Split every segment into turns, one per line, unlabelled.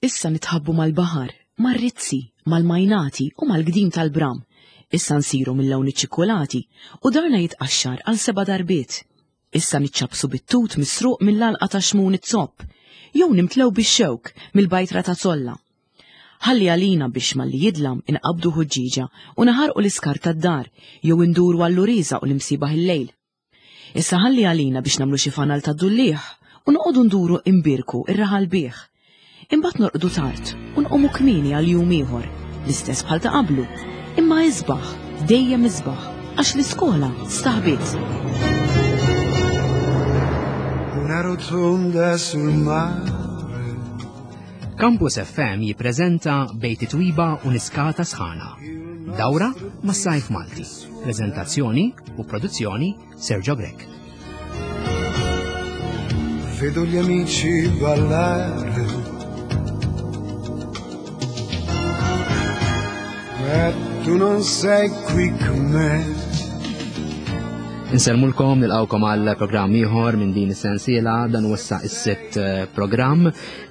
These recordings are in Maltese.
Issa nitħabbu mal-baħar, mar-rizzi, mal-majnati u mal-gdim tal-bram. Issa nsiru mill-lawn iċ-ċikkulati u darna jitqaxxar għal seba' darbiet. Issa niċċappsu bit-tut misruq mill-għalqa ta' Xmun iz-Zopp, jew nimtlew bix-xewk mill-bajtra ta' Zolla. Ħalli għalina biex malli jidlam inqabbdu ħuġġieġa u naħarqu l-iskart tad-dar jew induru għall-uriża u l-imsiebaħ il-lejl. Issa ħalli għalina biex nagħmlu xi fanal tad-dulliegħ u noqogħdu nduru imbierku r-raħal bih. Imbagħad norqdu tard u nqumu kmieni għal jum ieħor, l-istess bħal ta' qablu, imma isbaħ, dejjem isbaħ, għax l-iskola staħbiet.
Una rotonda sul mare.
Campus FM jippreżenta Bejt Twiba u Niskata Sħana. Dawra mas-sajf Malti. Preżentazzjoni u produzzjoni Sergio Grech.
Vedo gli amici ballare. Ma tu non sei qui con me.
Insellmulkom nilqawkom għal programm ieħor minn din is-sensiela dan huwa issa is-sitt eh, programm.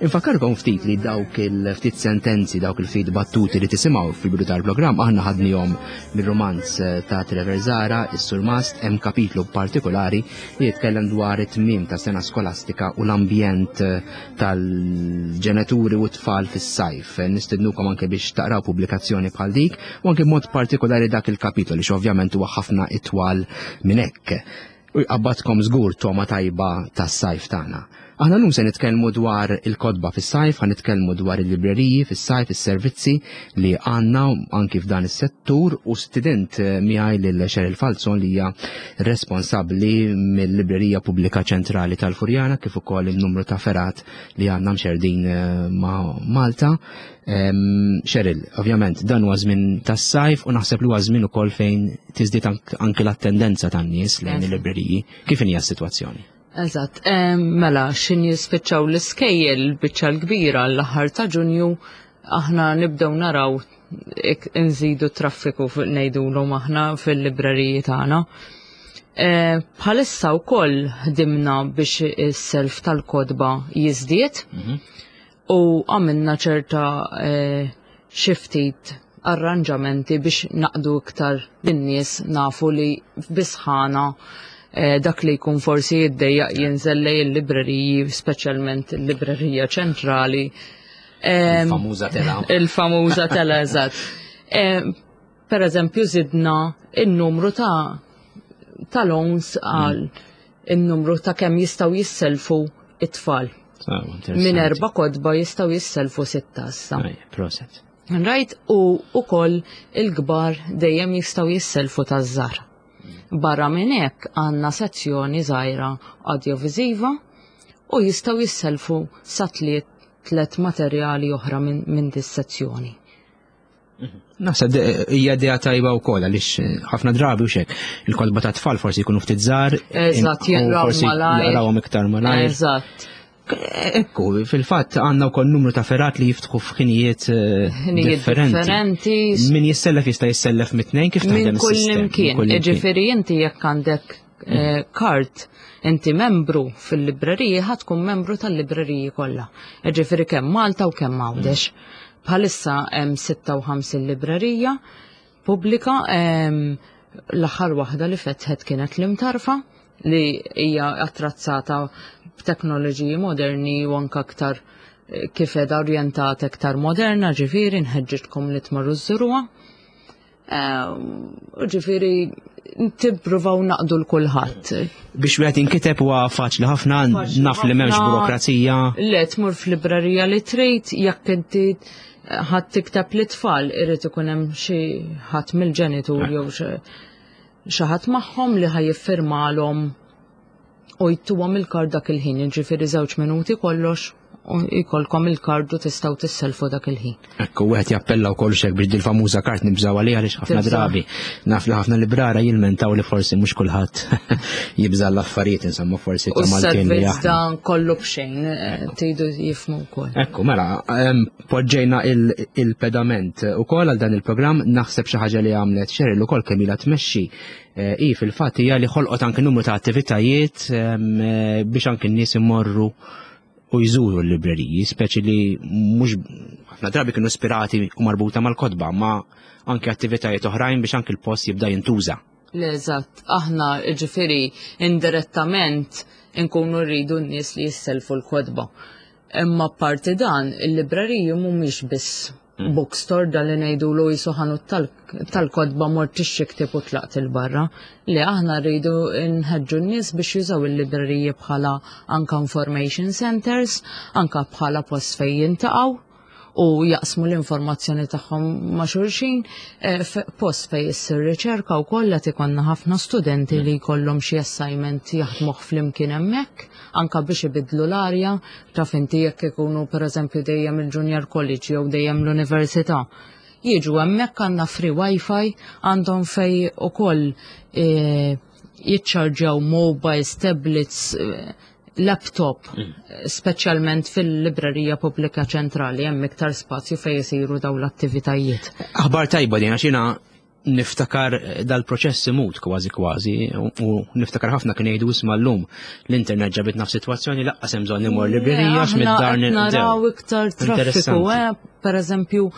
Infakkarkom ftit li dawk il-ftit sentenzi, dawk il-ftit battuti li tisimgħu fil-bidu tal-programm aħna ħadnihom mir-rumanz eh, ta' Trevor Zara, is-Surmast, hemm kapitlu partikolari li jitkellem dwar it-tmiem ta' sena skolastika u l-ambjent eh, tal-ġenituri u t-tfal fis-sajf. Nistednukom anke biex taqraw pubblikazzjoni bħal dik u anke mod partikolari dak il-kapitolu li ovvjament huwa ħafna itwal minn hekk. U jqabbadkom żgur togħma tajba tas-sajf tagħna. Aħna llum se nitkellmu dwar il-kotba fis-sajf, ħa nitkellmu dwar il-libreriji fis-sajf, is-servizzi li għandna anki f'dan is-settur u stident eh, miegħi lil Cheryl Falzon li hija responsabbli mill-Librerija Pubblika Ċentrali tal-Furjana kif ukoll il-numru ta' ferat li għandna mxerdin eh, ma' Malta. Cheryl, ovvjament dan huwa żmien tas-sajf u naħseb li huwa żmien ukoll fejn tiżdied anke l-attendenza tan-nies lejn il-libreriji. Kif inhi s-sitwazzjoni?
Eżatt, mela x'in jispiċċaw l-iskejjel biċċa l-kbira l-aħħar ta' Ġunju aħna nibdew naraw nżidu traffiku ngħidulhom aħna fil-libreriji tagħna. Bħalissa wkoll ħdimna biex is-self tal-kotba jiżdied. Mhm. U għamilna ċerta eh, xi ftit arranġamenti biex naqdu iktar lin-nies nafu li bisħana eh, dak li jkun forsi jiddejjaq jinżel lej il-libreriji, speċjalment il-librerija ċentrali.
Il-famuża tela.
Il-famuża tela, eżatt. Per eżempju, zidna il-numru ta' ta' loans għal mm. il-numru ta' kemm jistgħu jisselfu it-tfal. Ah, Minn erba kodba jistgħu jisselfu sitta issa.
Proset.
Rajt u ukoll il-kbar dejjem jistgħu jisselfu taż-żar. Barra minn hekk għandna sezzjoni żgħira audioviziva u jistgħu jisselfu sa tliet tlet materjali oħra minn min dis-sezzjoni.
Naħseb hija idea tajba wkoll għaliex eh, ħafna drabi u xek il-kotba ta' tfal forsi jkunu ftit żgħar.
Eżatt, jaqraw malajr.
Jaqrawhom iktar malajr.
Eżatt.
Ekku, fil-fatt għandna wkoll numru ta' ferat li jiftħu f'ħinijiet eh,
differenti.
Min jissellef jista' jissellef mit-tnejn kif taħdem
Minn kull imkien. Ġifieri inti jekk għandek eh, kart inti membru fil-libreriji ħa tkun membru tal-libreriji kollha. Ġifieri kemm Malta u kemm Għawdex. Bħalissa hemm 56 librerija pubblika l-aħħar waħda li fetħet kienet l-imtarfa li hija attrazzata b'teknoloġiji moderni u anke aktar eh, kif edha orjentata aktar moderna, ġifieri nħeġġitkom li tmorru żżuruha. Ehm, ġifiri, tippruvaw naqdu l-kulħadd.
Biex wieħed inkiteb huwa faċli ħafna, naf li m'hemmx burokrazija.
Le, tmur f'librerija li trid, jekk inti ħadd tikteb li tfal irid ikun hemm xi ħadd mill-ġenitur jew xi ħadd magħhom li ħajiffirmalhom u jtuhom il-kard dak il-ħin, jiġifieri żewġ minuti kollox u jkollkom il-kard u tistgħu tisselfu dak il-ħin.
Ekku, wieħed jappella wkoll xek biex dil-famuża kart nibżgħu għaliha għaliex ħafna drabi naf li ħafna librara jilmentaw li forsi mhux kulħadd jibża' l-affarijiet insomma forsi
ta' Maltin li aħna. dan kollu b'xejn, eh, tgħidu jifhmu wkoll.
Ekku, mela, poġġejna il-pedament ukoll għal dan il-programm naħseb xi ħaġa li għamlet Cheryl ukoll kemm ilha tmexxi Eh, i fil-fatt hija li ħolqot anke numru ta' attivitajiet ehm, eh, biex anke n-nies imorru. u jżuru l-libreriji, speċi li mhux ħafna drabi kienu ispirati u marbuta mal-kotba, ma anke attivitajiet oħrajn biex anke l-post jibda jintuża.
L-eżatt, aħna ġifieri indirettament inkunu rridu n-nies li jisselfu l-kotba. Imma parti dan, il-libreriji mhumiex biss bookstore dan li ngħidulu jisu ħanut tal-kotba mort tixtri ktieb u tlaqt 'il barra. Li aħna rridu nħeġġu n-nies biex jużaw il-libreriji bħala anka information centers, anka bħala post fejn jintaqgħu u jaqsmu l-informazzjoni tagħhom ma' xulxin, eh, post fejn issir riċerka wkoll qed ikollna ħafna studenti li jkollhom xi assignment jaħdmuh flimkien hemmhekk, anka biex ibidlu l-arja, taf inti jekk ikunu pereżempju dejjem il-junior college jew dejjem l-università. Jiġu hemmhekk għandna free wifi, għandhom fej ukoll e, jiċċarġjaw mobiles, tablets, e, laptop, speċjalment fil-librerija pubblika ċentrali hemm iktar spazju fejn isiru dawn l-attivitajiet.
Aħbar tajba din għax jiena niftakar dal-proċess imut kważi kważi u niftakar ħafna kien jgħidu isma' llum l-internet ġabitna f'sitwazzjoni laqqas hemm bżonn imur librerija għax mid-dar
naraw iktar traffiku, eh, per eżempju,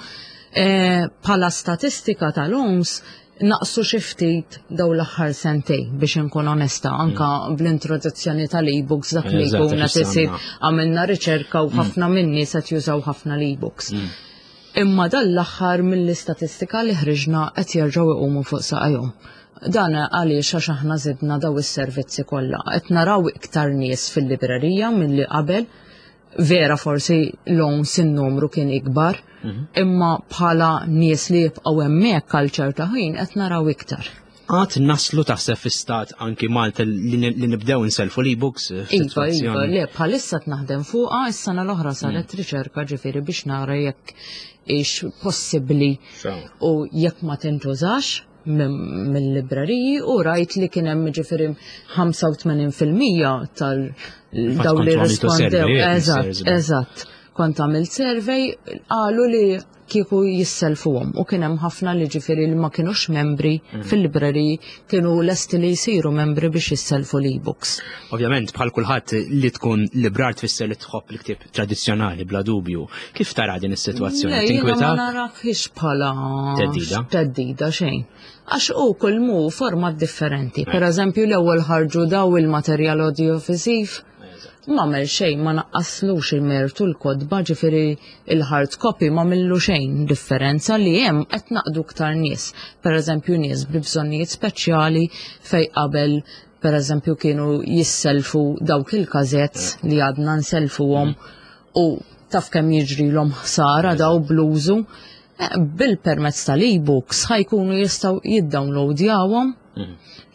eh, bħala statistika tal-OMS naqsu xi ftit daw l-aħħar sentej biex inkun onesta anka mm. bl-introduzzjoni tal-e-books dak li jkun qed isir għamilna riċerka u mm. ħafna minni se jużaw ħafna l-e-books. Mm. Imma dan l-aħħar mill-istatistika li ħriġna qed jerġgħu jqumu fuq saqajhom. Dan għaliex għax aħna żidna daw is-servizzi kollha. Qed naraw iktar nies fil-librerija milli qabel. Vera forsi l-own sin-numru kien ikbar, mhm. imma bħala nies li jibqgħu hemmhekk għal ċerta ħin qed naraw iktar.
Għad naslu taħseb fi stat anki Malta li nibdew inselfu l-e-books? Eh,
iva, iva, le, bħalissa naħdem fuqa, is-sena l-oħra saret mm. riċerka ġifieri biex nara jekk ix possibbli u jekk ma tintużax mill-libreriji u rajt li kien hemm ġifieri 85% tal daw li rispondew. Eżatt, eżatt. Kont għamilt survey qalu li kieku jisselfuhom u kien hemm ħafna li ġifieri li ma kinux membri mm. fil-libreriji kienu lesti li jsiru membri biex jisselfu l-e-books.
Ovvjament bħal kulħadd li tkun librar tfisser li tħobb l-ktieb tradizzjonali bla dubju. Kif tara din is-sitwazzjoni?
Tinkwita? Ma narakx bħala teddida. Teddida xejn. Għax u kull mu format differenti. Per eżempju l-ewwel ħarġu daw il-materjal audiovisiv M'għamel xejn, ma naqqaslux il-mertu l-kotba, ġifieri il-hard copy ma millu xejn differenza li hemm qed naqdu iktar nies. Pereżempju nies bi bżonnijiet speċjali fej qabel pereżempju kienu jisselfu dawk il-kazets li għadna nselfuhom u taf kemm jiġrilhom ħsara daw bl-użu. Eh, bil-permezz tal-e-books ħajkunu jistgħu jiddownloadjawhom mhm.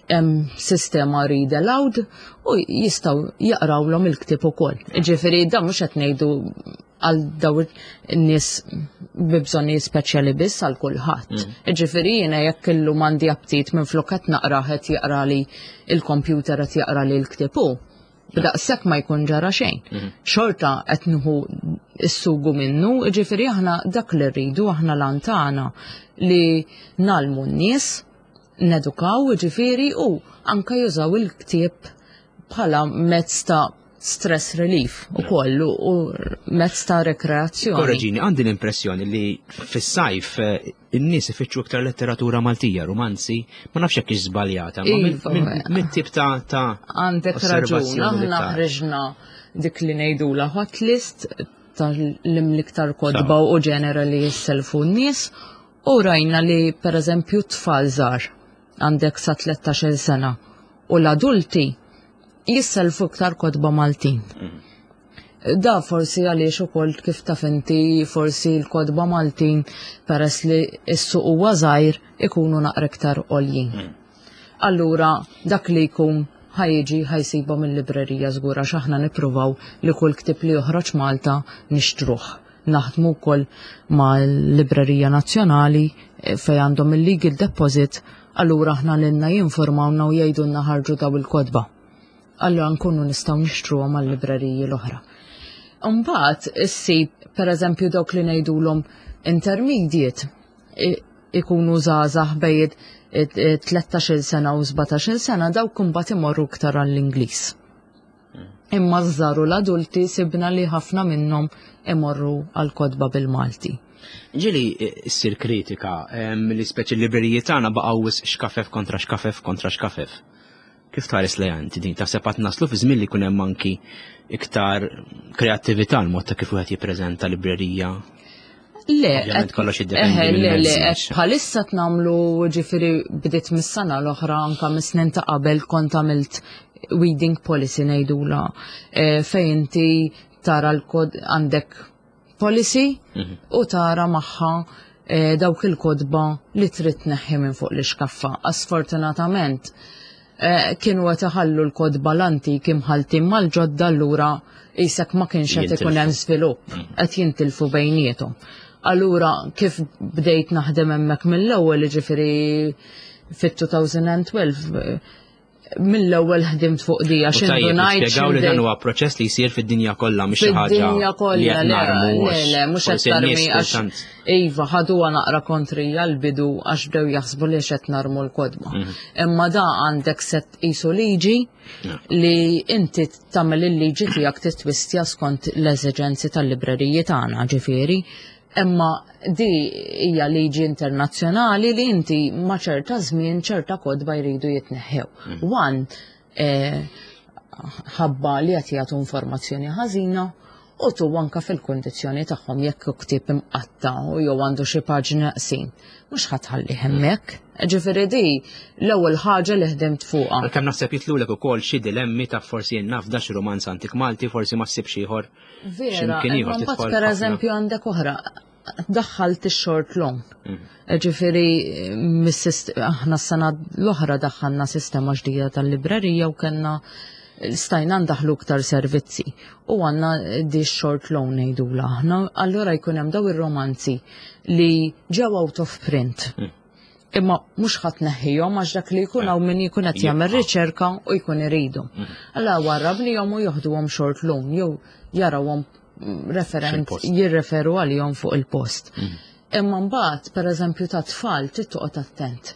hemm sistema read aloud u jistgħu jaqrawlhom il-ktieb ukoll. Ġifieri dan mhux qed ngħidu għal daw in-nies bi bżonnijiet speċjali biss għal kulħadd. Mm. Ġifieri jiena jekk illum għandi aptit minn flok qed naqra qed jaqra li il-kompjuter qed jaqra li l-ktieb hu. B'daqshekk ma jkun ġara xejn. Mm-hmm. Xorta qed nieħu s-sugu minnu, ġifieri aħna dak li rridu aħna lantana li nalmu n-nies nedukaw, ġifieri, u anka jużaw il-ktieb bħala mezz ta' stress relief u kollu u mezz ta' rekreazzjoni.
Korreġini, għandi l-impressjoni li fis-sajf eh, in-nies ifittxu iktar letteratura Maltija, romanzi, ma nafx jekk żbaljata, ma
iva,
mit-tip ta' ta'
Għandek raġun, aħna ħriġna dik li ngħidula hot list tal-imliktar kodba u ġenera li jisselfu n-nies U rajna li pereżempju tfal żgħar għandek sa 13-il sena u l-adulti jisselfu iktar kotba Maltin. Mm. Da forsi għaliex ukoll kif taf inti forsi l-kotba Maltin peress li s-suq huwa żgħir ikunu naqra iktar għoljin. Mm. Allura dak li jkun ħajġi ħajsibhom il-librerija żgur għax aħna nippruvaw li kull ktieb li joħroġ Malta nixtruh. Naħdmu wkoll mal-Librerija Nazzjonali eh, fejn għandhom il-legal deposit, allura aħna lilna jinformawna u jgħidulna ħarġu daw il-kotba. Allura nkunu nistgħu nixtruhom għal-libreriji l-oħra. Imbagħad issib pereżempju dawk li ngħidulhom intermediate ikunu żgħażagħ bejn 13-il sena u 17-il sena dawk imbagħad imorru iktar għall-Ingliż. Imma ż-żgħar u l-adulti sibna li ħafna minnhom imorru għal kotba bil-Malti.
Ġieli ssir kritika li speċi l-libreriji tagħna baqgħu wisq xkafef kontra xkafef kontra xkafef. Kif tħares lejha inti din? Taħseb għad naslu fi żmien li jkun hemm anki iktar kreattività l-mod ta' kif wieħed jippreżenta librerija?
Le,
Ovvjament kollox jiddependi
le, le,
mill-mezzi,
qed bħalissa tnamlu ġifieri bdiet mis-sena l-oħra anka mis-snin ta' qabel kont għamilt weeding policy ngħidula fejn inti tara l-kod għandek policy u tara magħha dawk il-kotba li trid tneħħi minn fuq l-ixkaffa. Sfortunatament kienu qed iħallu l-kotba l-antiki mħalltin mal-ġodda, allura qisek ma kienx qed ikun hemm żvilupp, qed jintilfu bejniethom. Allura kif bdejt naħdem hemmhekk mill-ewwel, jiġifieri fit-2012, mill-ewwel ħdimt fuq di għax
U tajjeb,
indunajt
nispjegaw li
x'indej-
dan huwa proċess li jsir fid-dinja kollha, mhux xi ħaġa
Fid-dinja
li
kollha,
qed
le,
narmu
le,
għax
le, mhux qed
forsi n-nies
tarmi għax
kultant.
Iva, ħaduha naqra kontrija l-bidu għax bdew jaħsbu li qed narmu l-kotba. Imma da għandek set qisu liġi li inti tagħmel il-liġi tiegħek titwistja skont l-eżiġenzi tal-libreriji tagħna, ġifieri. Imma di hija liġi internazzjonali li inti ma' ċerta żmien ċerta kotba jridu jitneħħew. One, ħabba li qed jagħtu informazzjoni ħażina u tu anka fil-kundizzjoni tagħhom jekk hu ktieb imqatta u jew għandu xi paġni naqsin. Mhux ħa tħalli hemmhekk. Ġifieri di l-ewwel ħaġa li ħdimt fuqha.
Għalkemm naħseb jitlulek ukoll xi dilemmi ta' forsi jien naf dax romanz antik Malti, forsi ma ssibx ieħor.
Vera,
X'imkien ieħor
imma mbagħad
tidħol
per
ħafna.
eżempju għandek oħra, daħħalt ix-short loan. Ġifieri, aħna s-sena l-oħra daħħalna sistema ġdida tal-librerija u kellna stajna ndaħlu iktar servizzi. U għandna di short loan ngħidula aħna, allura jkun hemm daw ir-romanzi li ġew out of print. Imma mhux ħadd neħħihom għax dak li jkun hawn min jkun qed jagħmel riċerka u jkun iridu. Allura warrabnihom u joħduhom short loan jew jarawhom referent
Fil-post.
jirreferu għalihom fuq il-post. Imma mbagħad, pereżempju, ta' tfal trid toqgħod attent.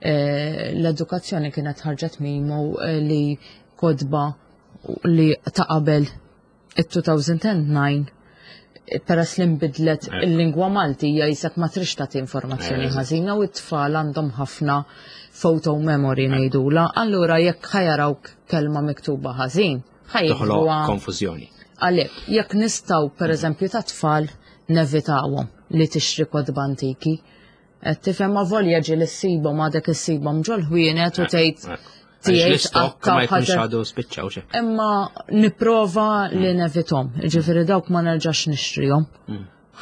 L-edukazzjoni kienet ħarġet memo li kotba li ta' qabel it-2009 peress li nbidlet il-lingwa Malti hija jisek ma trix tagħti informazzjoni ħażina u t-tfal għandhom ħafna photo memory ngħidula, allura jekk ħa jaraw kelma miktuba ħażin,
Toħloq
ħa jiktbuha
konfużjoni.
Għalhekk, jekk nistgħu pereżempju ta' tfal nevitawhom li tixtri kotba antiki. Qed tifhem ma volja ġieli ssibhom għadek issibhom ġol-ħwienet u tgħid
Għaliex
tiegħi
l-istokk ma jkunx għadu spiċċaw xejn.
Imma nipprova li nevitom, ġifieri dawk ma nerġax nixtrihom.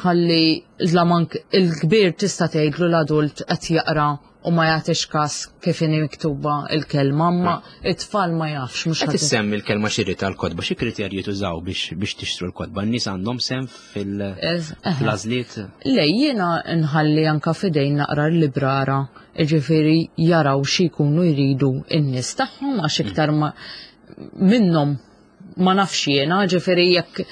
Ħalli l-amank il-kbir tista' tgħidlu l-adult qed jaqra u ma jagħtix każ kif inhi miktuba il-kelma, imma it-tfal ma jafx mhux
Qed
ħadd
issemmi l-kelma xiri tal-kotba, xi kriterji tużaw biex tixtru l-kotba? N-nies għandhom sem fil-għażliet?
Le, jiena nħalli anka fidejn naqra l-librara, ġifieri jaraw xi jkunu jridu n-nies tagħhom għax iktar ma minnhom ma nafx jiena, ġifieri jekk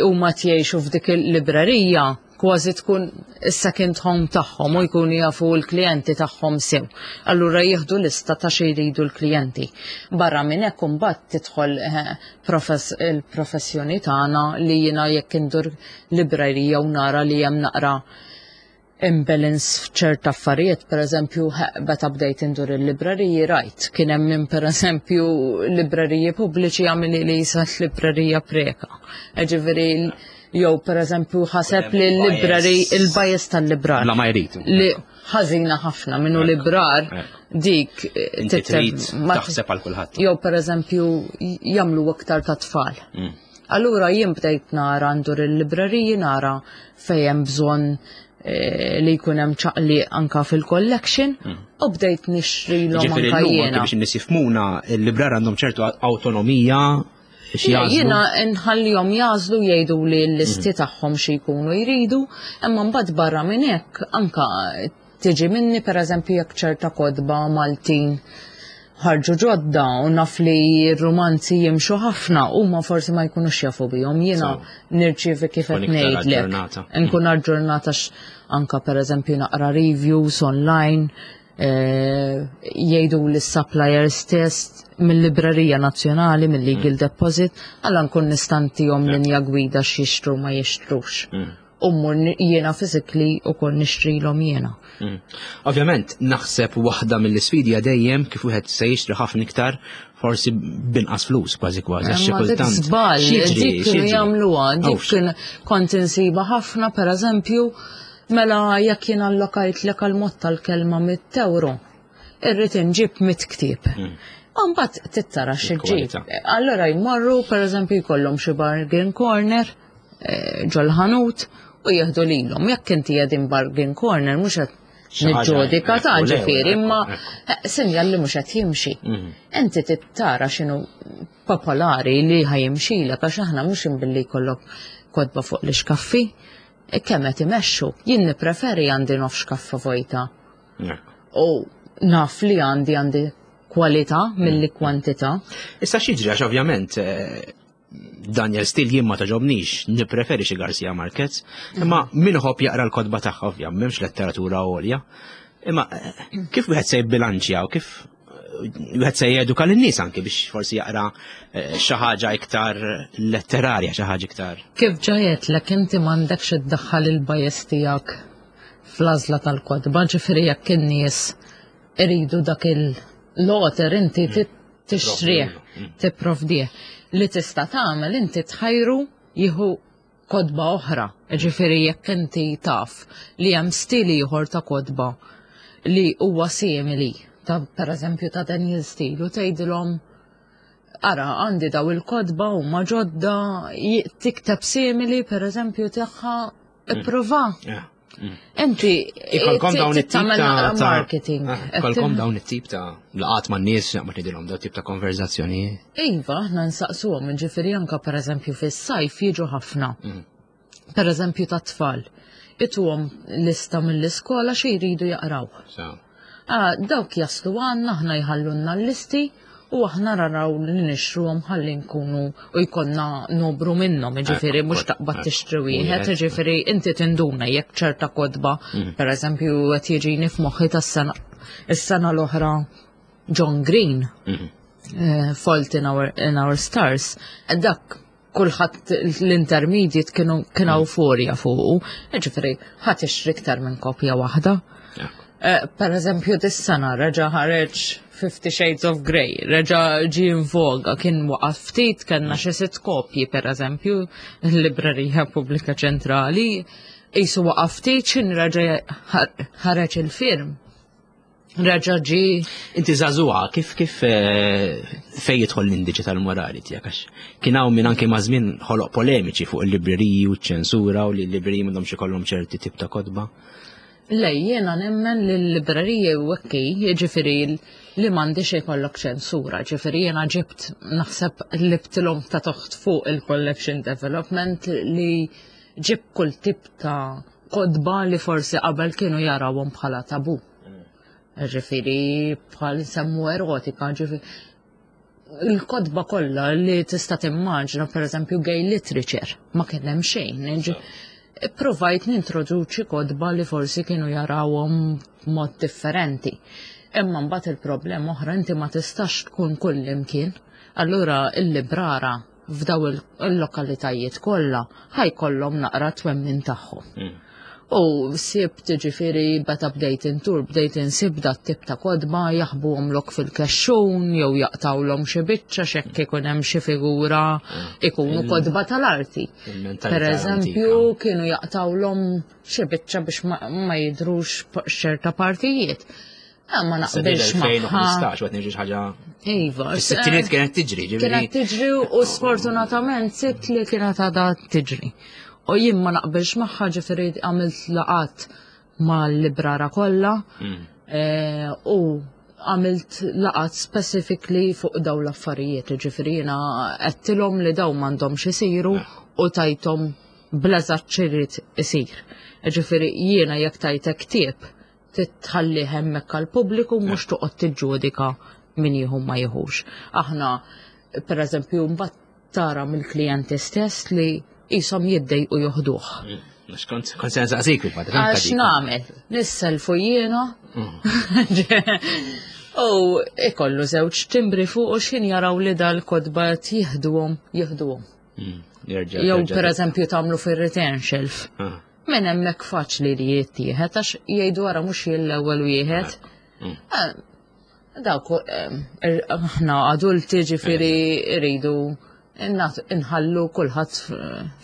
huma tgħixu f'dik il-librerija kważi tkun is-second home tagħhom u jkunu jafu l-klijenti tagħhom sew. Allura jieħdu lista ta' xi jridu l-klijenti. Barra minn hekk imbagħad tidħol il-professjoni tagħna li jiena jekk indur librerija u nara li hemm naqra imbalance f'ċerta affarijiet, per eżempju, meta bdejt indur il-libreriji rajt, kien hemm min per eżempju libreriji pubbliċi għamili li jisat librerija preka. Ġifieri, jew per eżempju ħaseb li l-libreri il-bias tal-librar.
La ma jrid.
Li ħażina ħafna minnu librar dik
Inti trid taħseb għal kulħadd.
Jew per eżempju jagħmlu aktar ta' tfal. Allura jien bdejt nara ndur il-libreriji nara fejn hemm bżonn li jkun hemm ċaqli anka fil-collection u bdejt nixtrilhom
Ġifieri
anka
llum anke
jiena.
biex in-nies jifhmuna, il-librar għandhom ċertu awtonomija xi
Le,
jagħżlu.
Jiena nħallihom jagħżlu jgħidu li l-listi tagħhom xi jkunu jridu, imma mbagħad barra minn hekk anka tiġi minni pereżempju jekk ċerta kotba Maltin ħarġu ġodda u naf li r-romanzi jimxu ħafna huma forsi ma jkunux jafu bihom. Jiena nirċievi kif qed
Tkun iktar
ngħidlek.
aġġornata.
Nkun aġġornata anka pereżempju naqra reviews online, jgħidu li supplier stess mill-Librerija Nazzjonali, mill-Legal mm. Deposit, għalla nkun nistantihom mm. linja gwida x'jixtru ma jixtrux. Mm. U mmur jiena physically u kol nixtrilhom jiena.
Ovvjament, naħseb waħda mill-isfidi dejjem kif wieħed se jixtri ħafna iktar forsi binqas flus kważi kważi għax xi kultant.
Żball, dik kienu jagħmluha, dik kien kont insiba ħafna pereżempju mela jekk jien allokajtlek għal mod tal-kelma mit euro irrid inġib mit ktieb. Mm. Mbagħad tittara xi ġib. Allora jmorru pereżempju jkollhom xi bargain corner eh, ġol-ħanut u jieħdu lilhom. Jekk inti qegħdin bargain corner mhux qed niġġudika ta' ġifieri, imma eh, sinjal li mhux qed jimxi. Mhm. Inti tittara x'inhu popolari li ħajimxilek għax aħna mhux imbilli jkollok kodba fuq l-ixkaffi, eh, kemm qed imexxu. Jien nippreferi għandi nofx kaffa vojta. U naf li għandi għandi kwalità milli mm. kwantità.
Issa x'jiġri għax ovvjament eh, Daniel Steele jien ma taġobnix, nippreferi xi Garcia Marquez, imma mm. min ħobb jaqra l-kodba tagħha ovvja, m'hemmx letteratura għolja. Imma eh, kif wieħed se jibbilanċja u kif eh, wieħed se jeduka lin-nies anke biex forsi jaqra xi ħaġa iktar letterarja, xi ħaġa iktar.
Kif ġajetlek inti m'għandekx iddaħħal il-bias tiegħek fl-għażla tal-kotba, ġifieri jekk in-nies iridu dak il-loter inti mm. tixtrih, mm. tipprovdih. Li tista' tagħmel inti tħajru jieħu kodba oħra, ġifieri jekk inti taf li hemm stil ieħor ta' kodba li huwa simili ta' pereżempju ta' Daniel Steele u tgħidilhom ara għandi daw il-kodba huma ġodda tikteb simili pereżempju tagħha Ipprova. Mm. Inti
ikolkom dawn it-tip ta'
marketing.
Ah, ikolkom dawn it-tip ta' laqat ma' nies ma tgħidilhom dawn tip ta' konverzazzjoni.
Iva, aħna nsaqsuhom, ġifieri anke pereżempju fis-sajf jiġu ħafna. Mm. Pereżempju ta' tfal. Ituhom lista mill-iskola xi jridu jaqraw. Ah, dawk jaslu għandna aħna jħallunna l-listi u aħna naraw li nixtruhom ħalli nkunu u jkollna nobru minnhom, jiġifieri mhux taqbad tixtri wieħed, jiġifieri inti tinduna jekk ċerta kotba, mhm. pereżempju qed jiġini f'moħħi tas-sena is-sena l-oħra John Green, mhm. eh, Fault in Our, in Our Stars, dak kulħadd l-intermediate kienu kien mm. euforja fuqu, ġifieri ħadd ixtri iktar minn kopja waħda. Eh, per eżempju, dis-sena reġa' ħareġ Fifty Shades of Grey, reġa' ġi in voga, kien waqaf ftit, kellna xi sitt kopji per eżempju, l-Librerija Pubblika Ċentrali, jisu waqaf ftit xin reġa' ħareġ il-film. Reġa' ġie.
Inti żagħżugħa, kif kif eh, fejn jidħol l-indiċi tal-morali tiegħek għax kien hawn min anke ma' żmien ħoloq polemiċi fuq il-libreriji u ċ-ċensura u li l-libreriji m'għandhomx ikollhom ċerti tip ta' kotba.
Le, jiena nemmen li l-libreriji u hekk jiġifieri li m'għandix ikollok ċensura, ġifieri jiena ġibt naħseb libtilhom ta' toħt fuq il-collection development li ġib kull tip ta' kotba li forsi qabel kienu jarawhom bħala tabu. Ġifieri bħal semmu erotika, ġifieri il-kotba kollha li tista' timmaġna pereżempju gay literature ma kien hemm xejn. Ipprovajt nintroduċi kotba li forsi kienu jarawhom b'mod differenti. Imma mbagħad il-problema oħra inti ma tistax tkun kull imkien. Allura il-librara f'daw il-lokalitajiet kollha ħajkollhom naqra twemmin tagħhom. Mm. U sibt ġifiri beta bdejt intur, bdejt insib dat tip ta' kodba jaħbuhomlok fil-kexxun jew jaqtawlhom xi biċċa x'hekk ikun hemm xi figura mm. ikunu kodba tal-arti. Per eżempju, kienu jaqtawlhom xi biċċa biex ma jidrux ċerta partijiet. Ah, ma naqbilx
ma. 2015 għat nġi ħaġa.
Iva.
Is-sittiniet kienet tiġri,
ġifieri. Kienet tiġri u sfortunatament sitt li kienet għadha tiġri. U jien ma naqbilx magħha ġifieri għamilt laqat mal-librara kollha mm. eh, u għamilt laqat specifically fuq daw l-affarijiet, ġifieri jiena għedtilhom li daw m'għandhomx isiru eh. u tajthom bleżat ċirrit isir. Ġifieri jiena jekk tajtek ktieb titħallih hemmhekk għall-pubbliku mhux toqgħod tiġġudika min jieħu ma jieħux. Aħna pereżempju mbagħad tara mill-klijenti stess li qishom jiddejqu joħduh. Mm,
kont se nsaqsik
fil-fatt. Għax nagħmel, nisselfu jiena. Mm. U ikollu żewġ timbri fuq u x'ħin jaraw li dal-kotba qed jieħduhom, jieħduhom. Jew pereżempju tagħmlu fir-return shelf. Ah. Minn hemmhekk faċli li jittieħed għax jgħidu wara mhux jien l-ewwel wieħed. Mm. Ah, dawk eh, aħna adulti ġifieri rridu inħallu kulħadd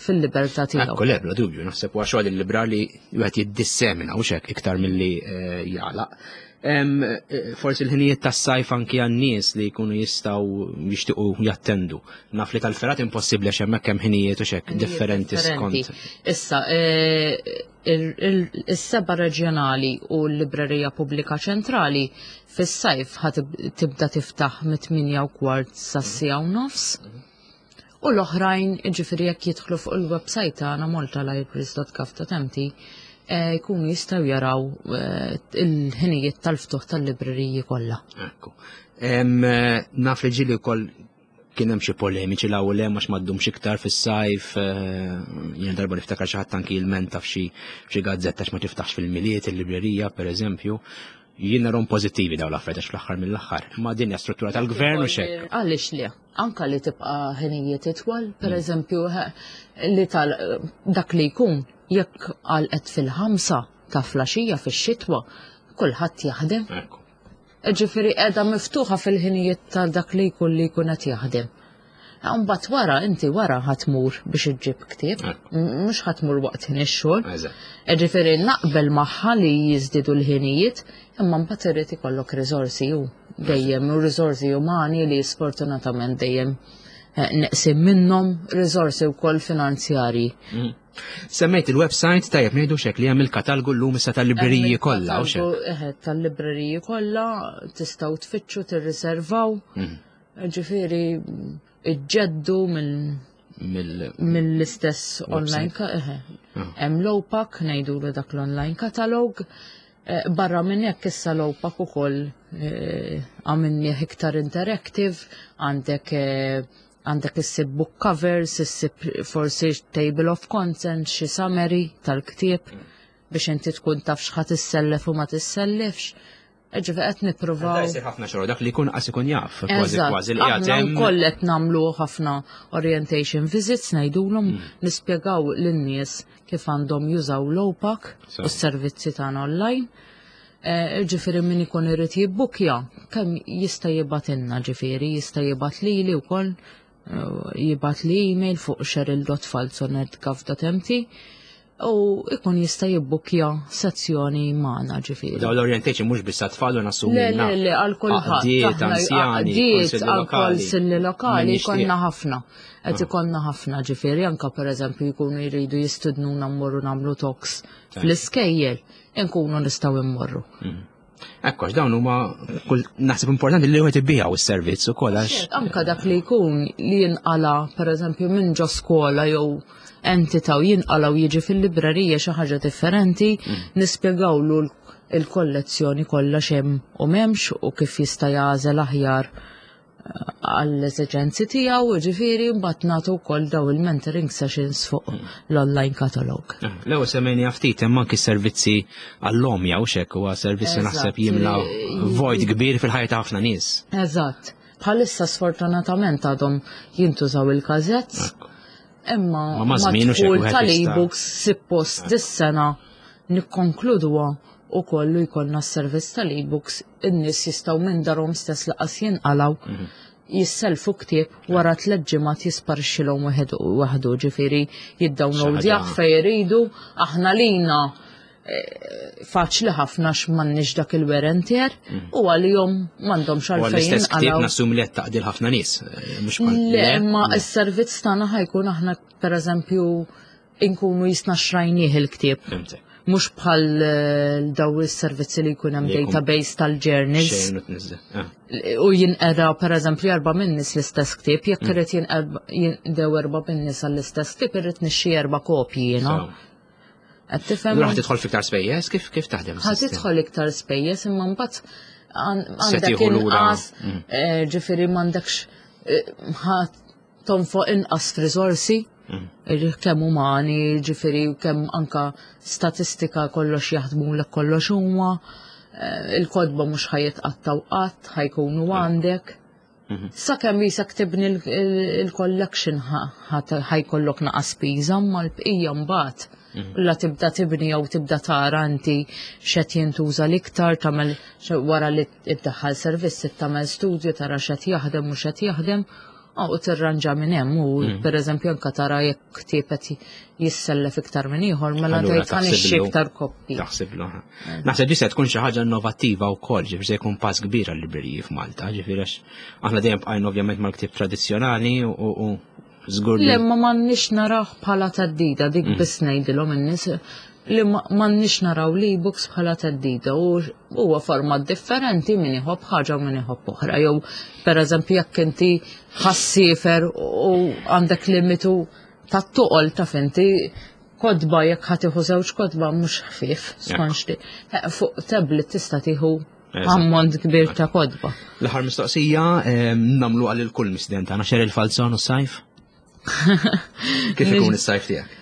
fil-libertà tiegħu.
Ekku le, bla dubju, naħseb huwa xogħol il-librar li wieħed jiddissemina u xek iktar milli eh, jagħlaq. Eh, forsi l-ħinijiet tas-sajf anki għan-nies li jkunu jistgħu jixtiequ jattendu. Naf li tal-ferat impossibbli għax hemmhekk hemm ħinijiet u xek differenti skont.
Issa, eh, is-seba reġjonali u l-Librerija Pubblika Ċentrali fis-sajf ħa tibda tiftaħ mit-8 u kwart sas-siegħa u nofs. U l-oħrajn, ġifieri jekk jidħlu fuq il-website tagħna maltalibraries.gov.mt eh, jkunu jistgħu jaraw eh, il-ħinijiet tal-ftuħ tal-libreriji kollha.
Ekku. Eh, naf li ġieli wkoll kien hemm xi polemiċi l hawn hemm għax ma ddumx iktar fis-sajf, eh, jien darba niftakar xi ħadd anki jilmenta f'xi f'xi gazzetta għax ma tiftaħx fil-Milied il-librerija pereżempju. Jien narhom pożittivi dawn l-affarijiet għax fl-aħħar mill-aħħar. Imma din hija struttura tal-gvern u x'hekk.
Għaliex le? Anka li tibqa' ħinijiet itwal, pereżempju li tal dak li jkun jekk għalqet fil-ħamsa ta' flaxija fix-xitwa, kulħadd jaħdem. Ġifieri qiegħda miftuħa fil-ħinijiet ta' dak li jkun li jkun qed jaħdem. Mbagħad wara inti wara ħa tmur biex iġġib ktieb, mhux ħa tmur waqt ħin ix-xogħol. Ġifieri naqbel magħha li jiżdiedu l-ħinijiet, imma mbagħad irid ikollok riżorsi u dejjem u riżorsi umani li sfortunatament dejjem eh, neqsim minnhom riżorsi wkoll finanzjarji. Mm.
Semmejt il-website tajjeb ngħidu xek li hemm il-katalgu llum issa tal-libreriji kollha u xek.
Eħe, tal-libreriji kollha tistgħu tfittxu tirriservaw. Mhm. Ġifieri iġġeddu mill-istess online eħe. Ah. Hemm l-OPAC ngħidulu dak l-online katalog. Eh, barra minn hekk issa l-OPAC ukoll eh, għamilnieh iktar interactive, għandek eh, Għandek issib book covers, issib forsi table of content, xi summary tal-ktieb biex inti tkun taf x'ħa tissellef u ma tissellifx. Ġifieri qed nippruvaw.
Jsir ħafna xogħol dak li jkun qas ikun jaf, kważi kważi li
qiegħed hemm. Wkoll qed nagħmlu ħafna orientation visits ngħidulhom mm. nispjegaw lin-nies kif għandhom jużaw l-OPAC u s-servizzi tagħna online. Eh, ġifieri min ikun irid jibbukja, kemm jista' jibgħatilna ġifieri, jista' jibgħat lili wkoll, eh, jibgħat li email fuq cheryl.falzon.gov.mt u ikun jista' jibbukja sezzjoni magħna ġifieri.
Daw l-orientation mhux biss tfal u nassumi.
Le, le, le, għal kulħadd.
Anzjani,
għal konsilli lokali konna ħafna. Qed ah. ikollna ħafna ġifieri anke pereżempju jkunu jridu jistidnuna mmorru nagħmlu talks fl-iskejjel. Inkunu nistgħu immorru.
Mhm. Ekku, għax dawn huma kull naħseb importanti li wieħed ibiegħu s-servizz ukoll għax.
Anka dak li jkun li jinqala pereżempju minn ġo skola jew entità u jinqala u jiġi fil-librerija xi ħaġa differenti, mm. nispjegawlu l-kollezzjoni kollha x'hemm u m'hemmx u kif jista' jagħżel aħjar għall-eżiġenzi tiegħu, jiġifieri mbagħad nagħtu wkoll daw il-mentoring sessions fuq l-online catalog.
Eh, l-ewwel semmejni ftit hemm anki servizzi għall-omja u xek huwa servizzi naħseb jimla vojt kbir fil-ħajja ta' ħafna nies.
Eżatt. Bħalissa sfortunatament għadhom jintużaw il-kazets. Imma ma żmien u tal-e-books suppost eh. dis-sena nikkonkluduha u kollu jkollna s-servizz tal-e-books in-nies jistgħu minn darhom stess laqas jinqalgħu mhm. jisselfu ktieb wara tliet ġimgħat jisparixxilhom waħdu ġifieri jiddownloadjah fejn jridu aħna lina eh, faċli ħafna x'm'għandniex dak il-wear and tear mhm. u għalihom m'għandhomx
għalfejn. L-istess ktieb nassum li qed taqdil ħafna nies. Eh, mhux
Le, imma s-servizz tagħna ħajkun aħna pereżempju inkunu jisna xrajnieh il-ktieb. Mhux bħal eh, daw is-servizzi li jkun hemm database tal-journals. Ah. U jinqeda pereżempju erba' minnis l-istess ktieb, jekk mm. irid jinqdew erba' minnis għall-istess ktieb irrid nixxi erba' kopji jiena.
Qed tifhem? Ħa tidħol fiktar spejjeż, kif kif taħdem?
Ħa tidħol iktar spejjeż imma mbagħad għandek inqas, mm. eh, ġifieri m'għandekx eh, tonfoq inqas f'riżorsi, mm. kemm umani, ġifieri kemm anka statistika kollox jaħdmu l kollox huma. Il-kotba mhux ħa jitqattgħu qatt, ħa jkunu għandek. Sakemm jisek tibni il-collection ħa jkollok naqa spiża, ma l-bqija mbagħad la tibda tibni jew tibda tara inti x'qed jintuża l-iktar, tagħmel wara li iddaħħal servizz tagħmel studju tara x'qed jaħdem u x'qed jaħdem u tirranġa minn hemm u pereżempju anke tara jekk ktieb qed jissellef iktar minn ieħor mela tgħid ħa nixtri iktar koppji.
Taħsiblu. Naħseb di se tkun xi ħaġa innovattiva wkoll, ġifieri se jkun pass kbir għal-libreriji f'Malta, ġifieri għax aħna dejjem bqajna ovvjament mal-ktieb tradizzjonali u żgur
li. Le ma m'għandniex naraw bħala theddida dik biss ngħidilhom in-nies li m'għandniex naraw l-e-books bħala theddida u huwa format differenti min iħobb ħaġa u min iħobb oħra. Jew pereżempju jekk inti ħa ssiefer u għandek limitu ta' toqol ta' inti kotba jekk ħa tieħu żewġ kotba mhux ħfief skont li fuq tablet tista' tieħu ammont kbir ta' kotba.
L-aħħar mistoqsija nagħmlu għal kull mistieden tagħna Cheryl Falzon u s-sajf. Kif ikun is-sajf tiegħek?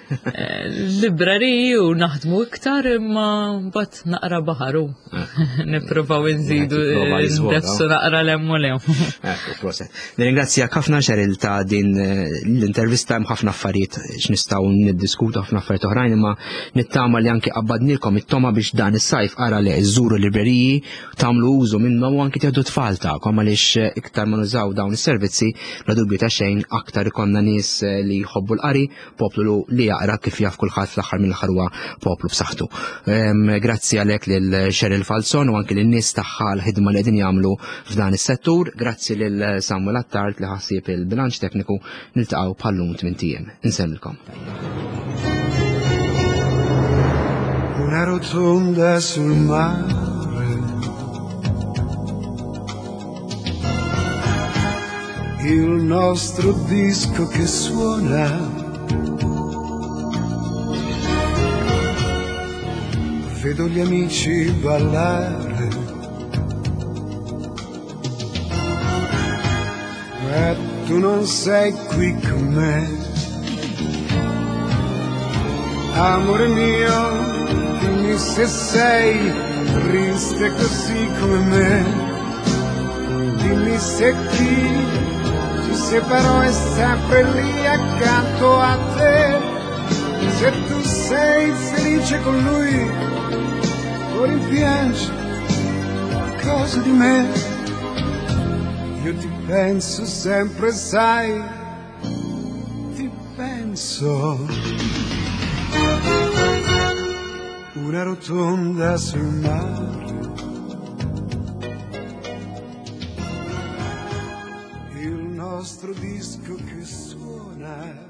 Libreriji u naħdmu iktar imma mbagħad naqra baħaru. Nippruvaw inżidu ndefsu naqra 'l hemm u 'l hemm.
Ekku, proset. Nirringrazzjak ħafna Cheryl ta' din l-intervista, hemm ħafna affarijiet x'nistgħu niddiskutu, ħafna affarijiet oħrajn, imma nittama li anki qabbadnilkom it-toma biex dan is-sajf ara li żżuru libreriji, tagħmlu użu minnhom u anki tieħdu tfal tagħkom għaliex iktar ma nużaw dawn is-servizzi, bla dubju ta' xejn aktar ikollna nies li jħobbu l-qari, poplu li jaqra kif jaf kulħadd fl-aħħar mill-aħħar huwa poplu b'saħħtu. Grazzi għalhekk lil Cheryl Falzon u anki lin-nies tagħha l-ħidma li qegħdin jagħmlu f'dan is-settur, grazzi lil Samuel Attard li ħassieb il-bilanċ tekniku, niltaqgħu bħal-lum tmint ijiem. Insellmilkom.
Una rotonda sul mare. Il nostro disco che suona. Vedo gli amici ballare. Ma tu non sei qui con me. Amore mio, dimmi se sei triste così come me. Dimmi se chi ci separò è sempre lì accanto a te. Se tu sei felice con lui o rimpiangi qualcosa di me. Io ti penso sempre, sai, ti penso. Una rotonda sul mare. Il nostro disco che suona.